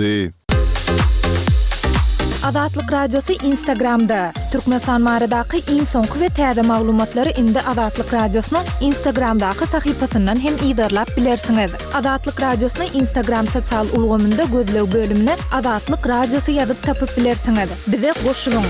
Dy. Azatlyk Radiosy Instagramda! Türkmenistan baradaky iň soňky we täze maglumatlary indi Azatlyk Radiosynyň Instagramdaky sahypasyndan hem yzarlap bilersiňiz. Azatlyk Radiosyny Instagram sosial ulgamynda gözleg bölümine Azatlyk Radiosy ýazyp tapyp bilersiňiz. Bize goşulyň!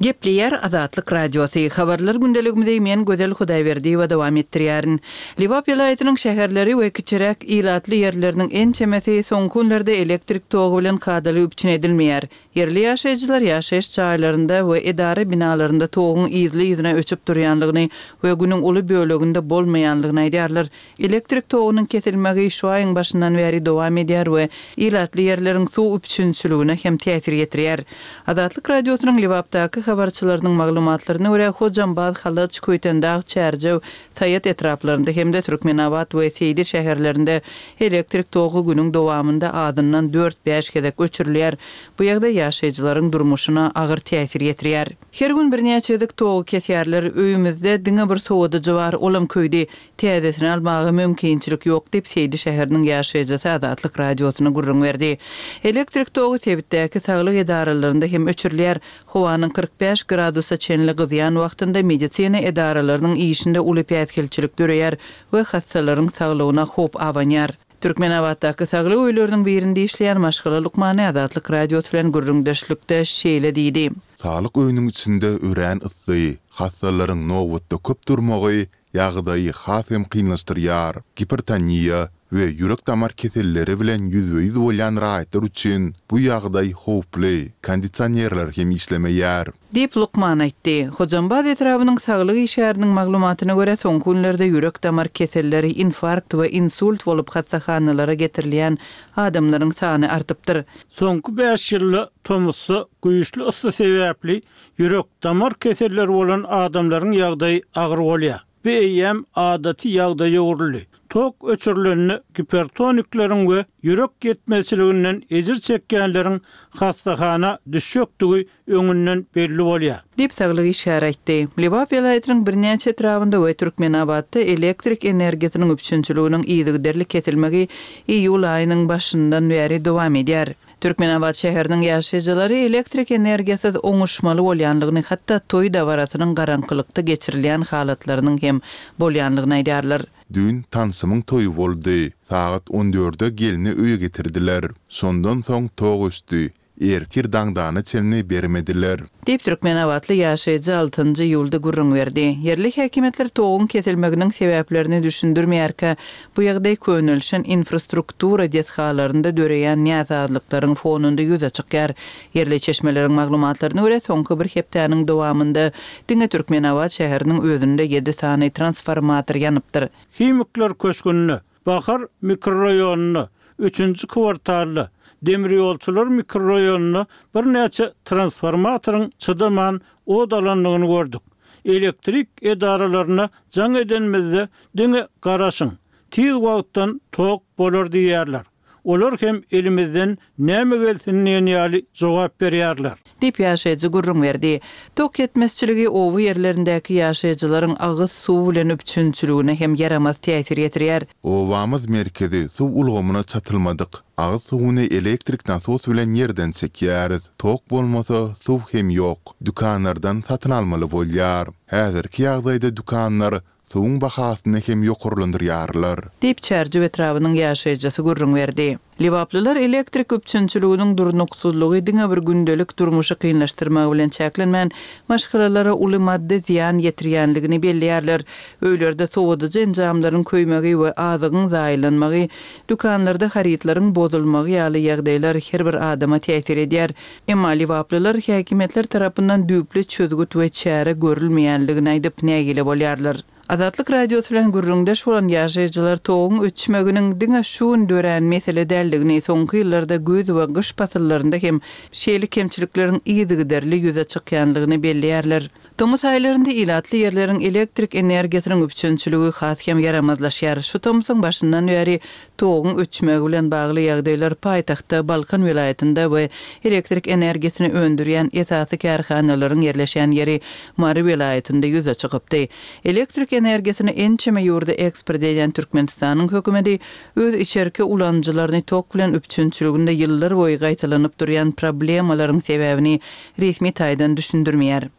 Gepleýär Azatlyk Radiosy, Habarlar gündeligimizi men Gözel Hudaýberdiýewa dowam etdirýärin. Lebap welaýatynyň şäherleri we kiçiräk ilatly ýerleriniň ençemesi soňky günlerde elektrik togy bilen kadaly üpjün edilmeýär. Ýerli ýaşaýjylar ýaşaýyş jaýlarynda we edara binalarynda toguň yzly-yzyna öçüp durýanlygyny we günüň uly böleginde bolmaýanlygyny aýdýarlar. Elektrik togunyň kesilmegi şu aýyň başyndan bäri dowam edýär we ilatly ýerleriň suw üpjünçiligine hem täsir ýetirýär. Azatlyk Radiosynyň Lebapdaky habarçylarynyň maglumatlaryna görä, Hojambaz, Halaç, Köýtendag, Çärjew, Saýat etraplarynda hem-de Türkmenabat we Seýdi şäherlerinde elektrik togy günüň dowamynda azyndan dört-bäş gezek öçürilýär. Bu ýagdaý ýaşaýjylaryň durmuşyna agyr täsir ýetirýär. Her gün birnäçe gezek togy kesýärler. Öýümizde diňe bir sowadyjy bar, olam köýdi. Täzesini almaga mümkinçilik ýok diýip, Seýdi şäheriniň ýaşaýjysy Azatlyk Radiosyna gürrüň berdi. Elektrik togy sebitdäki saglyk edaralarynda hem öçürilýär. Howanyň 45 gradusa çenli gyzýan wagtynda medisina edaralarynyň işinde uly päsgelçilik döreýär we hassalaryň saglygyna howp abanýar. Türkmenabatdaky saglyk öýleriniň birinde işleýän maşgala lukmany Azatlyk Radiosy bilen gürrüňdeşlikde şeýle diýdi. Saglyk öýüniň içinde örän yssy, hassalaryň nobatda köp durmagy ýagdaýy has hem kynlaşdyrýar. Gipertoniýa we ýürek-damar keselleri bilen ýüzbe-ýüz bolýan raýatlar üçin bu ýagdaý howply, kondisionerler hem işlemeýär. Diýip, lukman aýtdy. Hojambaz etrabynyň saglyk işgäriniň maglumatyna görä, soňky günlerde ýürek-damar keselleri, infarkt we insult bolup hassahanalara getirilýän adamlaryň sany artypdyr. Soňky bäş ýylda tomusda güýçli yssy sebäpli Ýürek-damar keselleri bolan adamlaryň ýagdaýy agyr bolýar. Bu eýýäm adaty ýagdaýa öwrüldi. Tok öçürilende gipertonikleriň we ýürek ýetmezçiliginden ejir çekýänleriň hassahana düşjekdigi öňünden belli bolýar. Diýip, saglyk işgäri aýtdy. Lebap welaýatynyň birnäçe etrabynda we Türkmenabatda elektrik energiýasynyň üpjünçiliginiň yzygiderli kesilmegi iýul aýynyň başyndan bäri dowam edýär. Türkmenabat şäheriniň ýaşaýjylary elektrik energiýasyz oňuşmaly bolýanlygyny, hatda toý dabarasynyň garaňkylykda geçirilýän halatlarynyň hem bolýanlygyny aýdýarlar. Düýn tanşymyň toýy boldy. Sagat on dörde gelni öýe getirdiler. Şondan soň tok öçdi. Ertir daňdana çenli bermediler. Diýip, türkmenabatly ýaşaýjy altynjy iýulda gürrüň berdi. Ýerli häkimiýetler toguň kesilmeginiň sebäplerini düşündirmeýärkä, bu ýagdaý könelişen infrastruktura desgalarynda döreýän näsazlyklaryň fonunda ýüze çykýar. Ýerli çeşmeleriň maglumatlaryna görä, soňky bir hepdäniň dowamynda diňe Türkmenabat şäheriniň özünde ýedi sany transformator ýanypdyr. Himikler köşgünde Bahar mikroraýonynda, üçünji kwartalda, Demirýolçular mikroraýonynda birnäçe transformatoryň çydaman ot alandygyny gördük. Elektrik edaralaryna jaň edenimizde diňe garaşyň, tiz wagtdan tok bolar diýýärler. Olar hem elimizden näme gelsin diýen ýaly jogap berýärler. Diýip, ýaşaýjy gürrüň berdi. Tok ýetmezçiligi oba ýerlerindäki ýaşaýjylaryň agyz suwy bilen üpjünçiligine hem ýaramaz täsir ýetirýär. Obamyz merkezi suw ulgamyna çatylmadyk. Agyz suwuny elektrik nasos bilen ýerden çekýäris. Tok bolmasa, suw hem ýok. Dükanlardan satyn almaly bolýar. Häzirki ýagdaýda dükanlar Suwuň bahasyny hem ýokarlandyrýarlar. Diýip, Çärjew etrabynyň ýaşaýjysy gürrüň berdi. Lebaplylar elektrik üpjünçiliginiň durnuksyzlygy diňe bir gündelik durmuşy kynlaşdyrmagy bilen çäklenmän, maşgalalara uly maddy zyýan ýetirýänligini belleýärler. Öýlerde sowadyjy enjamlaryň köýmegi we azygyň zaýalanmagy, dükanlarda harytlaryň bozulmagy ýaly ýagdaýlar her bir adama täsir edýär. Emma lebaplylar häkimiýetler tarapyndan düýpli çözgüt we çäre görülmeýänligini aýdyp, nägile bolýarlar. Azatlyk Radiosy bilen gürrüňdeş bolan ýaşaýjylar toguň öçmeginiň diňe şu gün dörän mesele däldigini, soňky ýyllarda güýz we gyş pasyllarynda hem şeýle kemçilikleriň yzygiderli ýüze çykýanlygyny belleýärler. Tomus aýlarynda ilatly ýerleriň elektrik energiýasynyň üpjünçiligi has hem ýaramazlaşýar. Şu tomsuň başyndan bäri toguň öçmegi bilen bagly ýagdaýlar paýtagtda, Balkan welaýatynda we elektrik energiýasyny öndürýän esasy kärhanalaryň ýerleşýän ýeri Mary welaýatynda ýüze çykypdy. Elektrik energiýasyny ençeme ýurda eksport edýän Türkmenistanyň hökümeti öz içerki ulanyjylaryny tok bilen üpjünçiliginde ýyllarboýy gaýtalanyp durýan problemalaryň sebäbini resmi taýdan düşündirmeýär.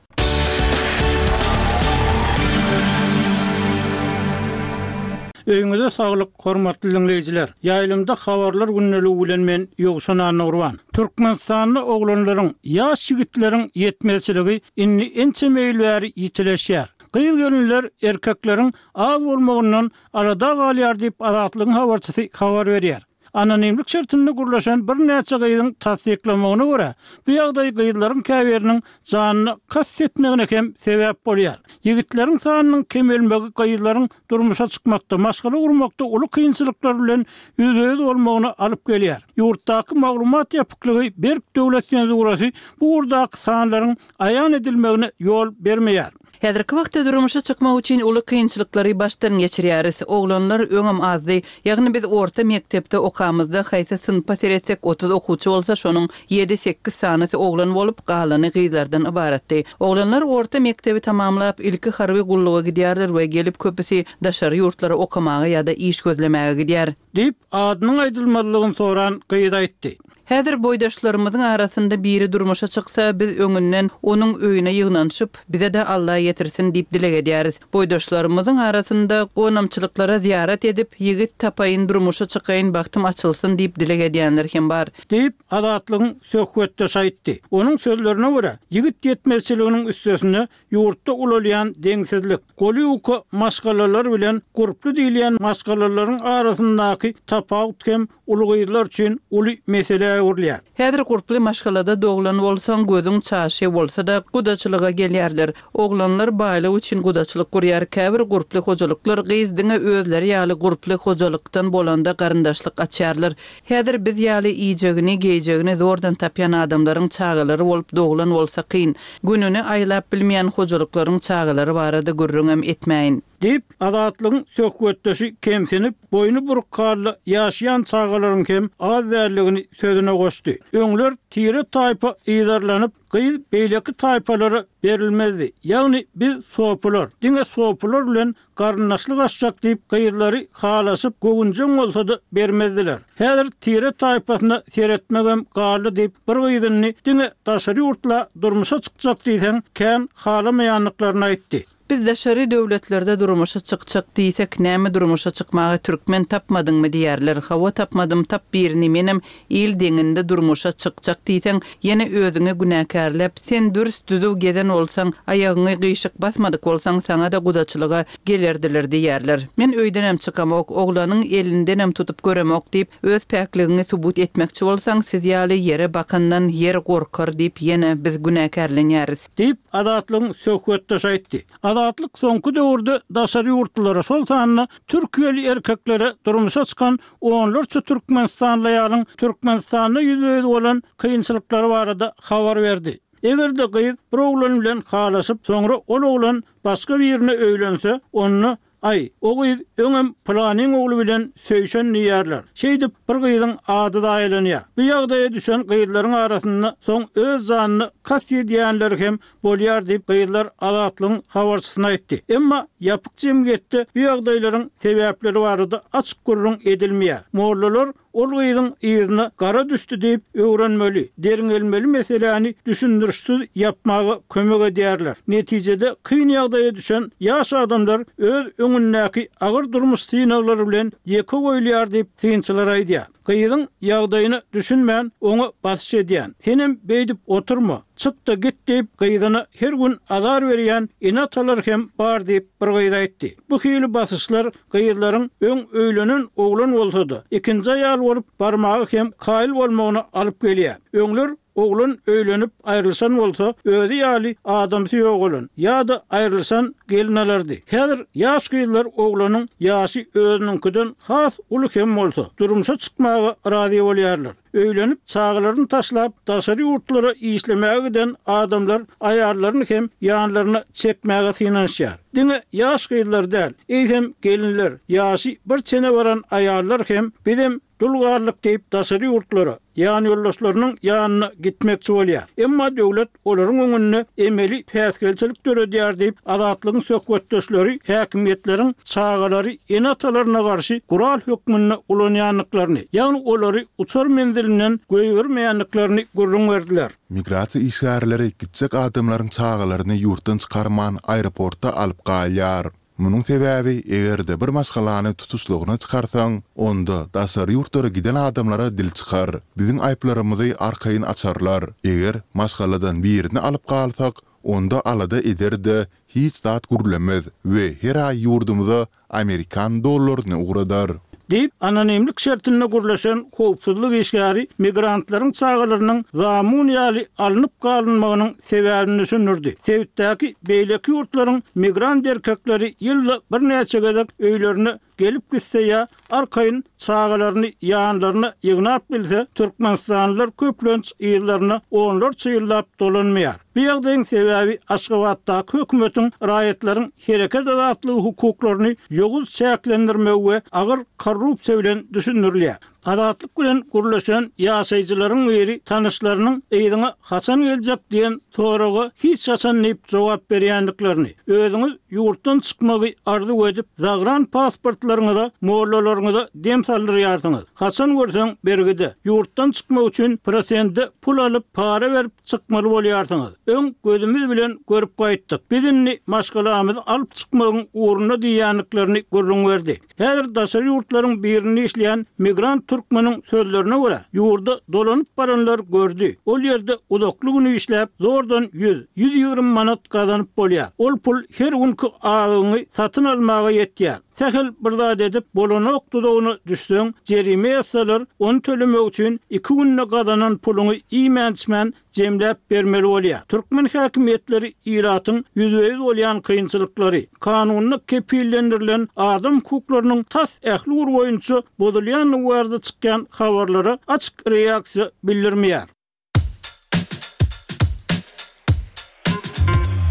Öýüňize saglyk, hormatly diňleýjiler! Ýaýlymda Habarlar gündeligi bilen men, Ýowşan Annagurban. Türkmenistanda oglanlaryň, ýaş ýigitleriň ýetmezçiligi indi ençeme ýyl bäri ýitileşýär. Gyz-gelinler erkekleriň az bolmagyndan alada galýar diýip, Azatlygyň habarçysy habar berýär. Anonimlik şertinde gürleşen birnäçe gyzyň tassyklamagyna görä, bu ýagdaý gyzlaryň käbiriniň janyna kast etmegine hem sebäp bolýar. Ýigitleriň sanynyň kemelmegi gyzlaryň durmuşa çykmakda, maşgala gurmakda uly kynçylyklar bilen ýüzbe-ýüz bolmagyna alyp gelýär. Ýurtdaky maglumat ýapyklygy, berk döwlet senzurasy bu ugurdaky sanlaryň aýan edilmegine ýol bermeýär. Häzirki wagtda durmuşa çykmak üçin uly kynçylyklary başdan geçirýäris. Oglanlar öňem azdy. Ýagny biz orta mekdepde okamyzda haýsy synpa seretsek 30 okuwçy bolsa şonuň ýedi-sekiz sanysy oglan bolup, galany gyzlardan ybaratdy. Oglanlar orta mekdebi tamamlap, ilki harby gulluga gidýärler we gelip köpüsi daşary ýurtlara okamaga ýa-da iş gözlemäge gidýär. Diýip, adynyň aýdylmazlygyny soran gyz aýtdy. Häzir boýdaşlarymyzyň arasynda biri durmuşa çyksa, biz öňünden onuň öýüne ýygnanyşyp, bize-de Alla ýetirsin diýip dileg edýäris. Boýdaşlarymyzyň arasynda gonamçylyklara zyýarat edip, ýigit tapaýyn, durmuşa çykaýyn, bagtym açylsyn diýip dileg edýänler hem bar. Diýip, Azatlygyň söhbetdeşi aýtdy. Onuň sözlerine görä, ýigit ýetmezçiliginiň üstesine Ýurtda ulalýan deňsizlik, goly ýuka maşgalalar bilen gurply diýilýän maşgalalaryň arasyndaky tapawut hem uly gyzlar üçin uly meselä öwrülýär. Häzir gurply maşgalada doglan bolsaň, gözüň çaşy bolsa-da, gudaçylyga gelýärler. Oglanlar baýlyk üçin gudaçylyk gurýar. Käbir gurply hojalyklar gyz diňe özleri ýaly gurply hojalykdan bolanda garyndaşlyk açýarlar. Häzir biz ýaly iýjegini, geýjegini zordan tapýan adamlaryň çagalary bolup doglan bolsa kyn. Gününi aýlap bilmeýän hojalyklaryň çagalary barada gürrüňem etmäýin. Diýip, Azatlygyň söhbetdeşi kemsinip, boýny buruk halda ýaşaýan çagalaryň hem az däldigini sözüne goşdy. Öňler tire-taýpa yzarlanyp, gyz beýleki taýpalara berilmezdi. Ýagny biz sopular, diňe sopular bilen Garyndaşlyk açjak diýip gyzlary halaşyp göwünjeň bolsa-da bermezdiler. Häzir tire-taýpasyna seretmegem galdy diýip bir gyz indi diňe daşary ýurtla durmuşa çykjak diýseň kän halamaýandyklaryny aýtdy. Biz daşary döwletlerde durmuşa çykjak diýsek näme durmuşa çykmaga türkmen tapmadyňmy diýerler hawa tapmadym tap birini menem Il deňinde durmuşa çykjak diýseň, ýene özüňi günäkärläp, sen dürs-düzüw gezen bolsaň, aýagyňy gyşyk basmadyk bolsaň, saňa-da gudaçylyga gelerdiler diýerler. Men öýdenem çykamok, oglanyň elindenem tutup göremok diýip, öz päkligiňi subut etmekçi bolsaň, siz ýaly ýere bakandan ýer gorkar diýip, ýene biz günäkärlenýäris. Diýip, Azatlygyň söhbetdeşi aýtdy. Azatlyk soňky döwürde daşary ýurtlulara, şol sanda türkiýeli erkeklere durmuşa çykan onlarça türkmenistanly aýalyň Türkmenistanda ýüzbe-ýüz bolan kynçylyklary barada habar berdi. Eger-de gyz bir oglan bilen halaşyp, soňra ol oglan başga birine öýlense, onda, Aý, o gyz öňem pylanyň ogly bilen söýşen diýýärler. Şeýdip, bir gyzyň ady zaýalanýar. Bu ýagdaýa düşen gyzlaryň arasynda soň öz janyna kast edýänleri hem bolýar diýip, gyzlar Azatlygyň habarçysyna aýtdy. Emma ýapyk jemgyýetde bu ýagdaýlaryň sebäpleri barada açyk gürrüň edilmeýär. Mollalar ol gyzyň yzyna gara düşdi diýip, öwrenmeli, derňelmeli meseläni düşündirişsiz ýapmaga kömek edýärler. Netijede kyn ýagdaýa düşen ýaş adamlar öz öňündäki agyr durmuş synaglary bilen ýeke goýulýar diýip, synçylar aýdýar. Gyzyň ýagdaýyna düşünmän, oňa basyş edýän. Senem beýdip oturma, çyk-da git diýip, gyzyna her gün azar berýän ene-atalar hem bar diýip, bir gyz aýtdy. Bu hili basyşlar gyzlaryň öň öýlenen oglan bolsa-da, ikinji aýal bolup barmaga hem kaýyl bolmagyna alyp gelýär. Öňler. Oglan öýlenip aýrylyşan bolsa, özi ýaly adamsy ýogalan ýa-da aýrylyşan gelin alardy. Häzir ýaş gyzlar oglanyň ýaşy özüniňkiden has uly hem bolsa, durmuşa çykmaga razy bolýarlar. Öýlenip, çagalaryny taşlap, daşary ýurtlara işlemäge giden adamlar aýallaryny hem ýanlaryna çekmäge synanyşýar. Diňe ýaş gyzlar däl, eýsem gelinler, ýaşy bir çene baran aýallar hem bizem Dul galdyk diýip daşary ýurtlara, ýanýoldaşlarynyň ýanyna gitmekçi bolýar. Emma döwlet olaryň öňünde emeli päsgelçilik döredýär diýip, Azatlygyň söhbetdeşleri häkimiýetleriň çagalary ene-atalaryna garşy gural hökmünde ulanýandyklaryny, ýagny olary uçar menzilinden goýbermeýändiklerini gürrüň berdiler. Migrasiýa işgärleri gitjek adamlaryň çagalaryny ýurtdan çykarman aeroportda alyp galýar. Munuň sebäbi, eger-de bir maşgalany tutuşlygyna çykarsaň, onda daşary ýurtlara giden adamlara dil çykar. Biziň aýyplarymyzy arkaýyn açarlar. Eger maşgaladan birini alyp galsak, onda alada eder-de, hiç zat gürlemez we her aý ýurdumyza amerikan dollaryny ugradar. Diýip, anonimlik şertinde gürleşen howpsuzlyk işgäri migrantlaryň çagalarynyň zamun ýaly alnyp galynmagynyň sebäbini düşündirdi. Sebitdäki beýleki ýurtlaryň migrant erkekleri ýylda birnäçe gezek öýlerine gelip gitse ýa arkaýyn çagalaryny ýanlaryna ýygnap bilse, türkmenistanlylar köplenç yzlaryna onlarça ýyllap dolanmaýar. Bu ýagdaýyň sebäbi Aşgabatdaky hökümetiň raýatlaryň hereket azatlygy hukuklaryny ýowuz çäklendirmegi we agyr korrupsiýa bilen düşündirilýär. Azatlyk bilen gürleşen ýaşaýjylaryň biri tanyşlarynyň yzyňa haçan geljek diýen soraga hiç haçan diýip jogap berýändiklerini, özüňiz ýurtdan çykmagy arzuw edip, zagran pasportlaryňyza, mollalaryňyza dem saldyrýarsyňyz. Haçan görseň bergide. Ýurtdan çykmak üçin prosende pul alyp, para berip çykmaly bolýarsyňyz. Öň gözümiz bilen görüp gaýtdyk. Biz indi maşgalamyzy alyp çykmagyň ugrunda diýýändiklerini gürrüň berdi. Häzir daşary ýurtlaryň birinde işleýän migrant türkmeniň sözlerine görä, ýurda dolanyp baranlar gördi. Ol ýerde uzakly gün işläp, zordan ýüz, 120 manat gazanyp bolýar. Ol pul her günki azygyňy satyn almaga ýetýär. Sähel bir zat edip, bolanok duzagyna düşseň, jerime ýazsalar, ony tölemek üçin iki günde gazanan puluňy iýmän-içmän jemläp bermeli bolýar. Türkmen häkimiýetleri ilatyň ýüzbe-ýüz bolýan kynçylyklary, kanunda kepillendirilen adam hukuklarynyň tas ähli ugur boýunça bozulýandygy barada çykýan habarlara açyk reaksiýa bildirmeýär.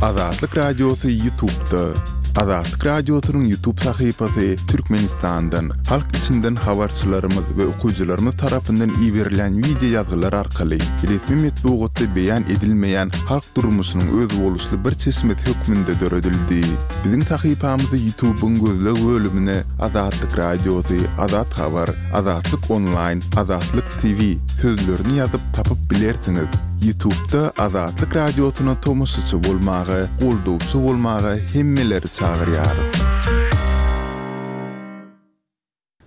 Azatlyk Radiosy Ýutubda. Azatlyk Radiosynyň Ýutub sahypasy Türkmenistandan, halk içinden habarçylarymyz we okyjylarymyz tarapyndan iberilýän wideo ýazgylar arkaly resmi metbugatda beýan edilmeýän halk durmuşynyň özboluşly bir çeşmesi hökmünde döredildi. Biziň sahypamyzy Ýutubyň gözleg bölümine Azatlyk Radiosy, Azat Habar, Azatlyk Onlaýn, Azatlyk TV sözlerini ýazyp tapyp bilersiňiz. Ýutubda Azatlyk Radiosyna tomaşaçy bolmaga, goldawçy bolmaga hemmeleri çagyrýarys.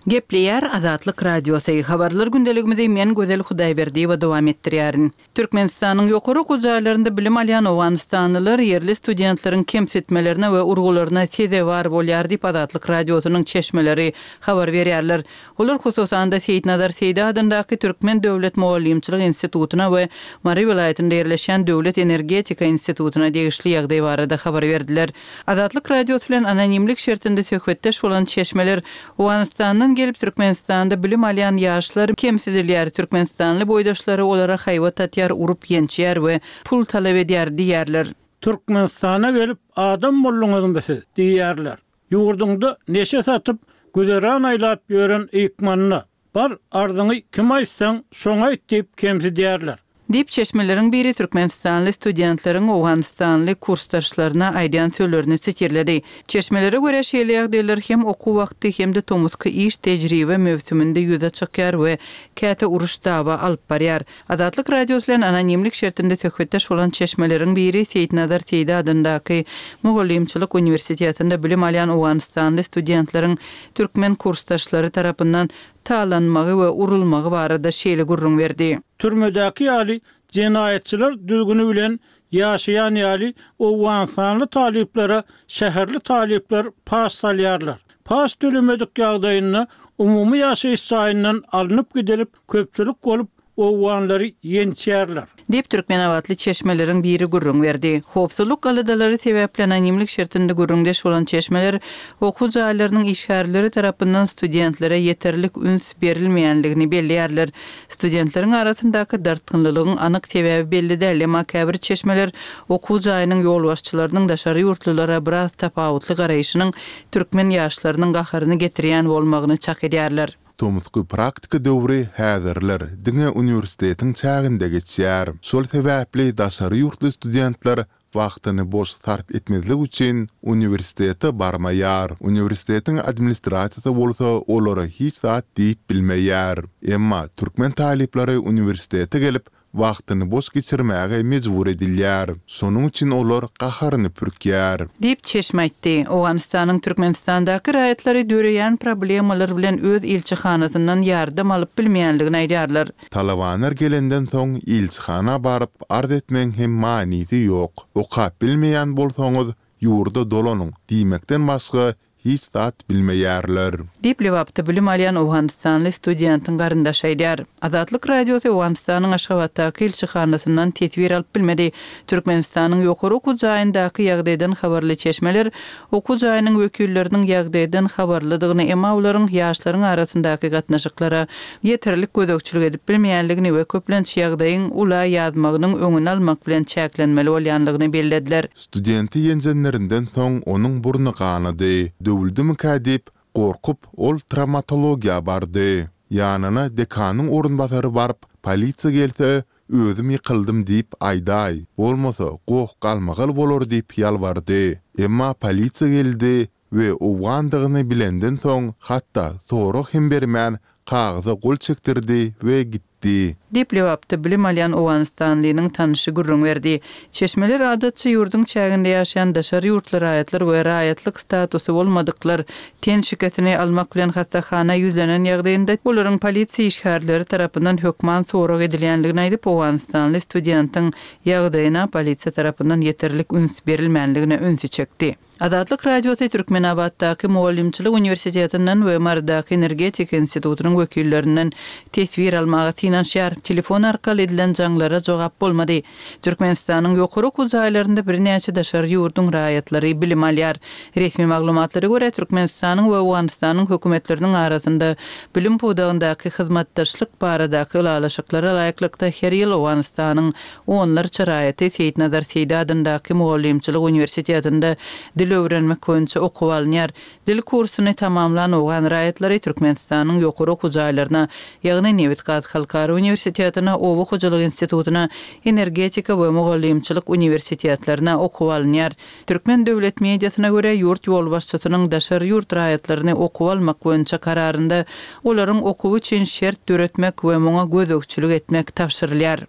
Gepleýär Azatlyk Radiosy, Habarlar gündeligimizi men Gözel Hudaýberdiýewa dowam etdirýärin. Türkmenistanyň ýokary okuw jaýlarynda bilim alýan owganystanlylar ýerli studentleriň kemsitmelerine we urgularyna sezewar bolýar diýip Azatlyk Radiosynyň çeşmeleri habar berýärler. Olar hususan-da Seýitnazar Seýdi adyndaky Türkmen döwlet mugallymçylyk institutyna we Mary welaýatynda ýerleşýän Döwlet energetika institutyna degişli ýagdaý barada habar berdiler. Azatlyk Radiosy bilen anonimlik şertinde söhbetdeş bolan çeşmeler Owganystandan gelip Türkmenistanda bilim alýan ýaşlar kemsidilýär, türkmenistanly boýdaşlary olara haýbat atýar, urup-ýençýär we pul talap edýär diýýärler. Türkmenistana gelip adam bolduňyzmy siz? diýýärler. Ýurduňda neşe satyp, güzeran aýlap ýören ykmanyna, Bar, arzyňy kime aýtsaň, şoňa aýt diýip kemsidýärler. Diýip, çeşmeleriň biri türkmenistanly studentleriň owganystanly kursdaşlaryna aýdýan sözlerini sitirledi. Çeşmelere görä, şeýle ýagdaýlar hem okuw wagty, hem-de tomusky iş tejribe möwsüminde ýüze çykýar we käte uruş-dawa alyp barýar. Azatlyk Radiosy bilen anonimlik şertinde söhbetdeş bolan çeşmeleriň biri Seýitnazar Seýdi adyndaky Mugallymçylyk uniwersitetinde bilim alýan owganystanly studentleriň türkmen kursdaşlary tarapyndan talanmagy we urulmagy barada şeýle gürrüň berdi. Türmedäki ýaly jenaýatçylar düzgüni bilen ýaşaýan ýaly owganystanly talyplara şäherli talyplar paç salýarlar. Paç tölemedik ýagdaýynda umumy ýaşaýyş jaýyndan alnyp gidilip, köpçülik bolup owganlary ýençýärler. Diýip, türkmenabatly çeşmeleriň biri gürrüň berdi. Howpsuzlyk aladalary sebäpli anonimlik şertinde gürrüňdeş bolan çeşmeler okuw jaýlarynyň işgärleri tarapyndan studentlere ýeterlik üns berilmeýänligini belleýärler. Studentleriň arasyndaky dartgynlylygyň anyk sebäbi belli däl, emma käbir çeşmeler okuw jaýynyň ýolbaşçylarynyň daşary ýurtlulara biraz tapawutly garaýşynyň türkmen ýaşlarynyň gaharyny getirýän bolmagyny çak edýärler. Tomusky praktika döwri häzirler diňe uniwersitetiň çäginde geçýär. Şol sebäpli daşary ýurtly studentler wagtyny boş sarp etmezlik üçin uniwersitete barmaýar. Uniwersitetiň administrasiýasy bolsa olara hiç zat diýip bilmeýär. Emma türkmen talyplary uniwersitete gelip, wagtyny boş geçirmäge mejbur edilýär. Şonuň üçin olar gaharyny pürkýär. Diýip, çeşme aýtdy. Owganystanyň Türkmenistandaky raýatlary döreýän problemalar bilen öz ilçihanasyndan ýardam alyp bilmeýänligini aýdýarlar. Talabanlar gelenden soň ilçihana baryp arz etmegiň hem manysy ýok. Okap bilmeýän bolsaňyz, ýurda dolanyň diýmekden başga hiç zat bilmeýärler. Diýip, Lebapda bilim alýan owganystanly studentiň garyndaşy aýdýar. Azatlyk Radiosy Owganystanyň Aşgabatdaky ilçihanasyndan teswir alyp bilmedi. Türkmenistanyň ýokary okuw jaýyndaky ýagdaýdan habarly çeşmeler okuw jaýynyň wekilleriniň ýagdaýdan habarlydygyny, emma olaryň ýaşlaryň arasyndaky gatnaşyklara ýeterlik gözegçilik edip bilmeýänligini we köplenç ýagdaýyň ula ýazmagynyň öňüni almak bilen çäklenmeli bolýanlygyny bellediler. Studenti ýenjenlerinden soň onuň burny ganady. Döwüldimikä diýip, gorkup, ol trawmatologiýa bardy. Ýanyna dekanyň orunbasary baryp, polisiýa gelse, özüm ýykyldym diýip aýdaý, bolmasa goh-galmagal bolar diýip ýalbardy. Emma polisiýa geldi we owgandygyny bilenden soň, hatda sorag hem bermän, kagyza gol çekdirdi we gitdi. Diýip, Lebapda bilim alýan owganystanlynyň tanyşy gürrüň berdi. Çeşmeler adatça ýurduň çäginde ýaşaýan daşary ýurtly raýatlar we raýatlyk statusy bolmadyklar ten şikesini almak bilen hassahana ýüzlenen ýagdaýynda, olaryň polisiýa işgärleri tarapyndan hökman sorag edilýändigini aýdyp, owganystanly studentiň ýagdaýyna polisiýa tarapyndan ýeterlik üns berilmändigine ünsi çekdi. Azatlyk Radiosy Türkmenabatdaky Mugallymçylyk uniwersitetinden we Marydaky Energetika institutynyň wekillerinden teswir almaga synanyşýar. Telefon arkaly edilen jaňlara jogap bolmady. Türkmenistanyň ýokary okuw jaýlarynda birnäçe daşary ýurduň raýatlary bilim alýar. Resmi maglumatlara görä, Türkmenistanyň we Owganystanyň hökümetleriniň arasynda bilim pudagyndaky hyzmatdaşlyk baradaky ylalaşyklara laýyklykda her ýyl Owganystanyň Onlarça raýaty Seýitnazar Seýdi adyndaky Mugallymçylyk uniwersitetinde dil öwrenmek boýunça okuwa alynýar. Dil kursuny tamamlan owgan raýatlary Türkmenistanyň ýokary okuw jaýlaryna, ýagny Nebit-gaz halkara uniwersitetine, Oba hojalyk institutyna, Energetika we mugallymçylyk uniwersitetlerine okuwa alynýar. Türkmen döwlet mediasyna görä, ýurt ýolbaşçysynyň daşary ýurt raýatlaryny okuwa almak boýunça kararynda olaryň okuwy üçin şert döretmek we muňa gözegçilik etmek tabşyrylýar.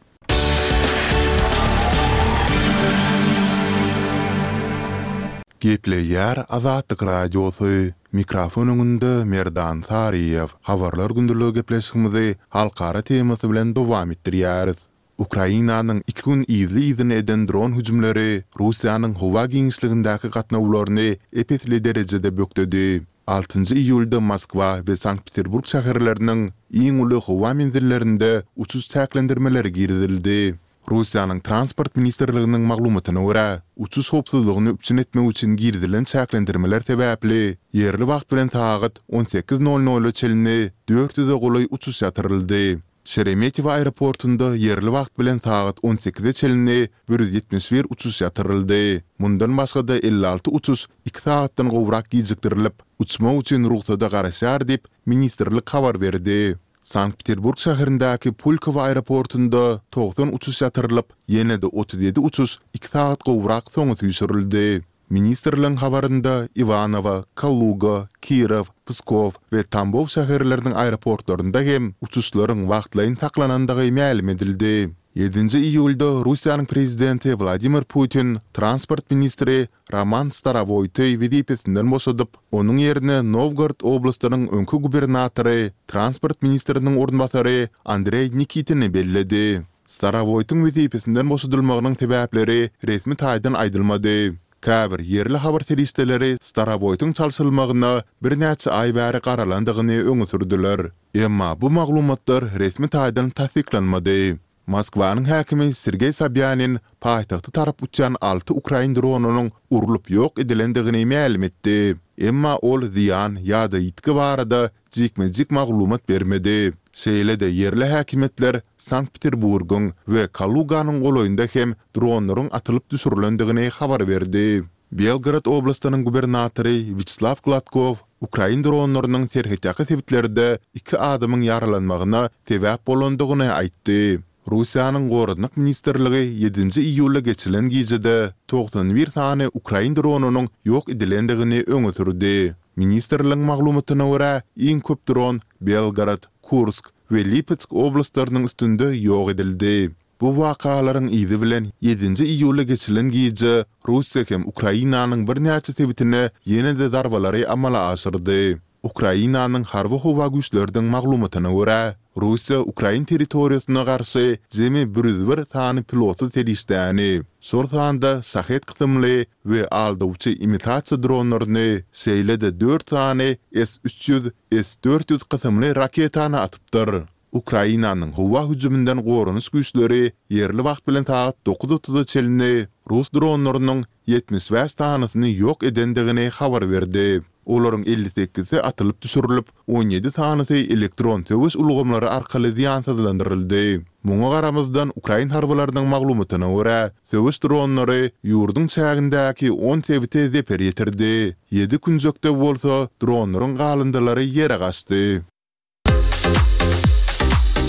Gepleýär Azatlyk Radiosy, Mikrofon öňünde Merdan Saryýew. Habarlar gündeligi gepleşigimizi halkara temasy bilen dowam etdirýäris. Ukrainanyň iki gün yzly-yzyna eden dron hüjümleri Russiýanyň howa giňişligindäki gatnawlaryny ep-esli derejede bökdedi. Altynjy iýulda Moskwa we Sankt-Peterburg şäherleriniň iň uly howa menzillerinde uçuş çäklendirmeleri girizildi. Russiýanyň Transport ministrliginiň maglumatyna görä, uçuş howpsuzlygyny üpjün etmek üçin girizilen çäklendirmeler sebäpli ýerli wagt bilen sagat on sekiz nol nola çenli dört ýüze golaý uçuş ýatyryldy. Şeremetýewo aeroportunda ýerli wagt bilen sagat on sekize çenli 171 uçuş ýatyryldy. Mundan başga-da 56 uçuş iki sagatdan gowrak gijikdirilip, uçmak üçin rugsada garaşýar diýip, ministrlik habar berdi. Sankt-Peterburg şäherindäki Pulkowo aeroportunda 90 uçuş ýatyrylyp, ýene-de 37 uçuş iki sagat gowrak soňa süýşürildi. Ministrligiň habarynda Iwanowo, Kaluga, Kirow, Pskow we Tambow şäherleriniň aeroportlarynda hem uçuşlaryň wagtlaýyn saklanandygy mälim edildi. Ýedinji iýulda Russiýanyň Prezidenti Wladimir Putin transport ministri Roman Starowoýty wezipesinden boşadyp, onuň ýerine Nowgorod oblastynyň öňki gubernatory, transport ministriniň orunbasary Andreý Nikitini belledi. Starowoýtyň wezipesinden boşadylmagynyň sebäpleri resmi taýdan aýdylmady. Käbir ýerli habar serişdeleri Starowoýtyň çalşylmagyna birnäçe aý bäri garalandygyny öňe sürdüler. Emma bu maglumatlar resmi taýdan tassyklanmady. Moskwanyň häkimi Sergeý Sobýanin paýtagta tarap uçýan alty ukrain dronynyň urlup ýok edilendigini mälim etdi. Emma ol zyýan ýa-da ýitgi barada jikme-jik maglumat bermedi. Şeýle-de ýerli häkimiýetler Sankt-Peterburgyň we Kaluganyň golaýynda hem dronlaryň atylyp düşürilendigini habar berdi. Belgorod oblastynyň gubernatory Wýaçeslaw Gladkow ukrain dronlarynyň serhetýaka sebitlerde iki adamyň ýaralanmagyna sebäp bolandygyny aýtdy. Russiýanyň Goranmak ministrligi ýedinji iýulda geçirilen gijede 91 sany ukrain dronynyň ýok edilendigini öňe sürdi. Ministrligiň maglumatyna görä, iň köp dron Belgorod, Kursk we Lipetsk oblastlarynyň üstünde ýok edildi. Bu wakalaryň yzy bilen ýedinji iýulda geçirilen gije Russiýa hem Ukrainanyň birnäçe sebitine ýene-de zarbalary amala aşyrdy. Ukrainanyň Harby-howa güýçleriniň maglumatyna görä, Russiýa ukrain territoriýasyna garşy jemi 101 sany pilotsyz serişdäni, şol sanda Şahed kysymly we aldawçy imitasiýa dronlaryny, şeýle-de dört sany S 300, S 400 kysymly raketany atypdyr. Ukrainanyň howa hüjüminden goranyş güýçleri ýerli wagt bilen sagat dokuz otuza çenli rus dronlarynyň 75 sanysyny ýok edendigini habar berdi. Olaryň 58-si atylyp düşürilip, 17 sanysy elektron söweş ulgamlary arkaly zyýansyzlandyryldy. Muňa garamazdan, ukrain harbylarynyň maglumatyna görä, söweş dronlary ýurduň çägindäki on sebite zeper ýetirdi, ýedi künjekde bolsa dronlaryň galyndylary ýere gaçdy.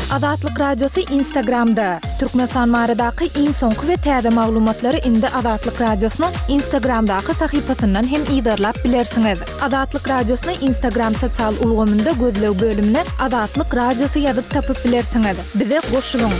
Azatlyk Radiosy Instagramda, Türkmenistan baradaky iň soňky we täze maglumatlary indi Azatlyk Radiosynyň Instagramdaky sahypasyndan hem yzarlap bilersiňiz. Azatlyk Radiosyny Instagram sosial ulgamynda gözleg bölümine Azatlyk Radiosy ýazyp tapyp bilersiňiz. Bize goşulyň!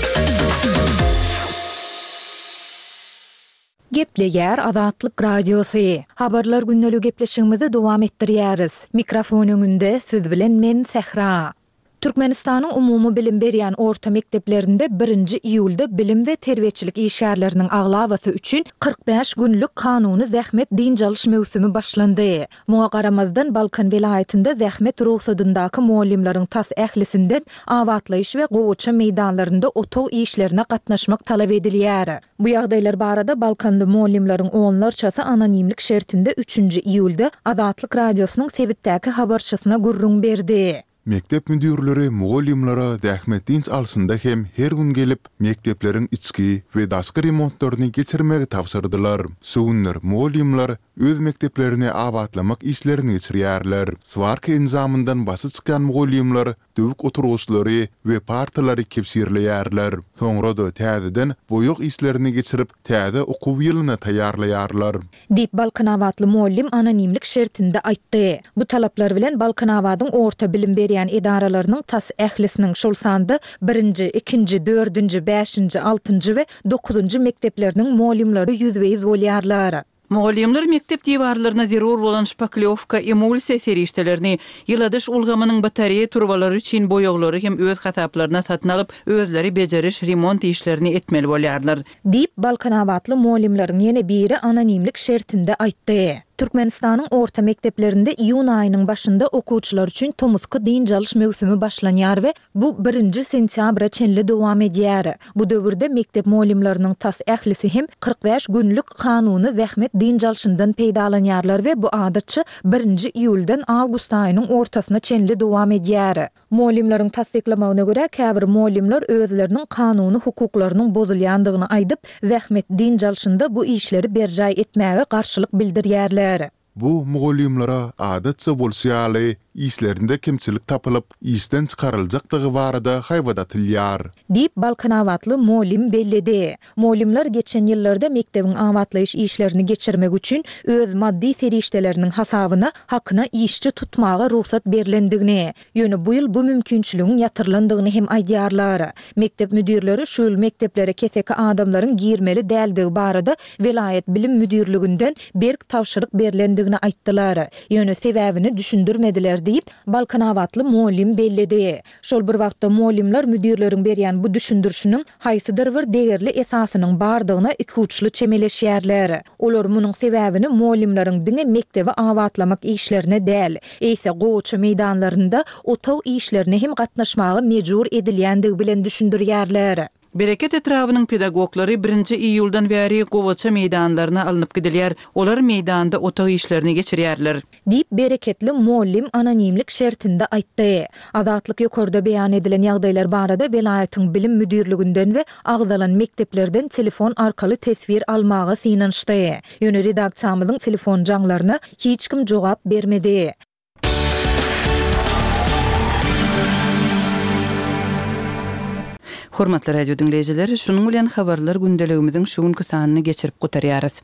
Gepleýär Azatlyk Radiosy. Habarlar gündeligi gepleşigimizi dowam etdirýäris. Mikrofon öňünde siz bilen men Sähra. Türkmenistanyň umumy bilim berýän orta mekdeplerinde birinji iýulda bilim we terbiýeçilik işgärleriniň aglabasy üçin 45 günlük kanuny zähmet dynç alyş möwsümi başlandy. Muňa garamazdan, Balkan welaýatynda zähmet rugsadyndaky mugallymlaryň tas ählisinden abatlaýyş we gowaça meýdanlarynda otag işlerine gatnaşmak talap edilýär. Bu ýagdaýlar barada balkanly mugallymlaryň onlarçasy anonimlik şertinde üçünji iýulda Azatlyk Radiosynyň sebitdäki habarçysyna gürrüň berdi. Mekdep müdirleri mugallymlara zähmet dynç alşynda hem her gün gelip, mekdepleriň içki we daşky remontlaryny geçirmegi tabşyrdylar. Şu günler mugallymlar öz mekdeplerini abatlamak işlerini geçirýärler. Swarka enjamyndan başy çykýan mugallymlar döwük oturgyçlary we partalary kebşirleýärler. Soňra-da täzeden boýag işlerini geçirip, täze okuw ýylyna taýýarlaýarlar. Diýip, balkanabatly mugallym anonimlik şertinde aýtdy. Bu talaplar bilen Balkanabadyň orta bilim berýän edaralarynyň tas ählisiniň, şol sanda birinji, ikinji, dördünji, bäşinji, altynjy we dokuzynjy mekdepleriniň mugallymlary ýüzbe-ýüz bolýarlar. Mugallymlar mekdep diwarlaryna zerur bolan şpaklýowka, emulsiýa serişdelerini, ýyladyş ulgamynyň batareýa turbalary üçin boýaglary hem öz hasaplaryna satyn alyp, özleri bejeriş, remont işlerini etmeli bolýarlar. Diýip, balkanabatly mugallymlaryň ýene biri anonimlik şertinde aýtdy. Türkmenistanyň orta mekdeplerinde iýun aýynyň başynda okuwçylar üçin tomusky dynç alyş möwsümi başlanýar we bu birinji sentýabra çenli dowam edýär. Bu döwürde mekdep mugallymlarynyň tas ählisi hem 45 günlük kanuny zähmet dynç alşyndan peýdalanýarlar we bu adatça birinji iýuldan awgust aýynyň ortasyna çenli dowam edýär. Mugallymlaryň tassyklamagyna görä, käbir mugallymlar özleriniň kanuny hukuklarynyň bozulýandygyny aýdyp, zähmet dynç alşynda bu işleri berjaý etmäge garşylyk bildirýärler. Bu mugallymlara adatça bolşy ýaly, işlerinde kemçilik tapylyp, işden çykaryljakdygy barada haýbat atylýar. Diýip, balkanabatly mugallym belledi. Mugallymlar geçen ýyllarda mekdebiň abatlaýyş işlerini geçirmek üçin öz maddy serişdeleriniň hasabyna hakyna işçi tutmaga rugsat berlendigini, ýöne bu ýyl bu mümkinçiligiň ýatyrylandygyny hem aýdýarlar. Mekdep müdirleri şu ýyl mekdeplere keseki adamlaryň girmeli däldigi barada welaýat bilim müdirliginden berk tabşyryk berlendigini aýtdylar. Ýöne sebäbini düşündirmediler diýip, balkanabatly mugallym belledi. Şol bir wagtda mugallymlar müdirleriň berýän bu düşündirişiniň haýsydyr bir degerli esasynyň bardygyna ikuçly çemeleşýärler. Olar munuň sebäbini mugallymlaryň diňe mekdebi abatlamak işlerine däl, eýse gowaça meýdanlarynda otag işlerine hem gatnaşmaga mejbur edilýändigi bilen düşündirýärler. Bereket etrabynyň pedagoglary birinji iýuldan bäri gowaça meýdanlaryna alnyp gidilýär. Olar meýdanda otag işlerini geçirýärler. Diýip, bereketli mugallym anonimlik şertinde aýtdy. Azatlyk ýokarda beýan edilen ýagdaýlar barada welaýatyň bilim müdirliginden we agzalan mekdeplerden telefon arkaly teswir almaga synanyşdy. Ýöne redaksiýamyzyň telefon jaňlaryna hiç kim jogap bermedi. Hormatly radio diňleýjiler, şunuň bilen habarlar gündeligimiziň şu günki sanyny geçirip gutarýarys.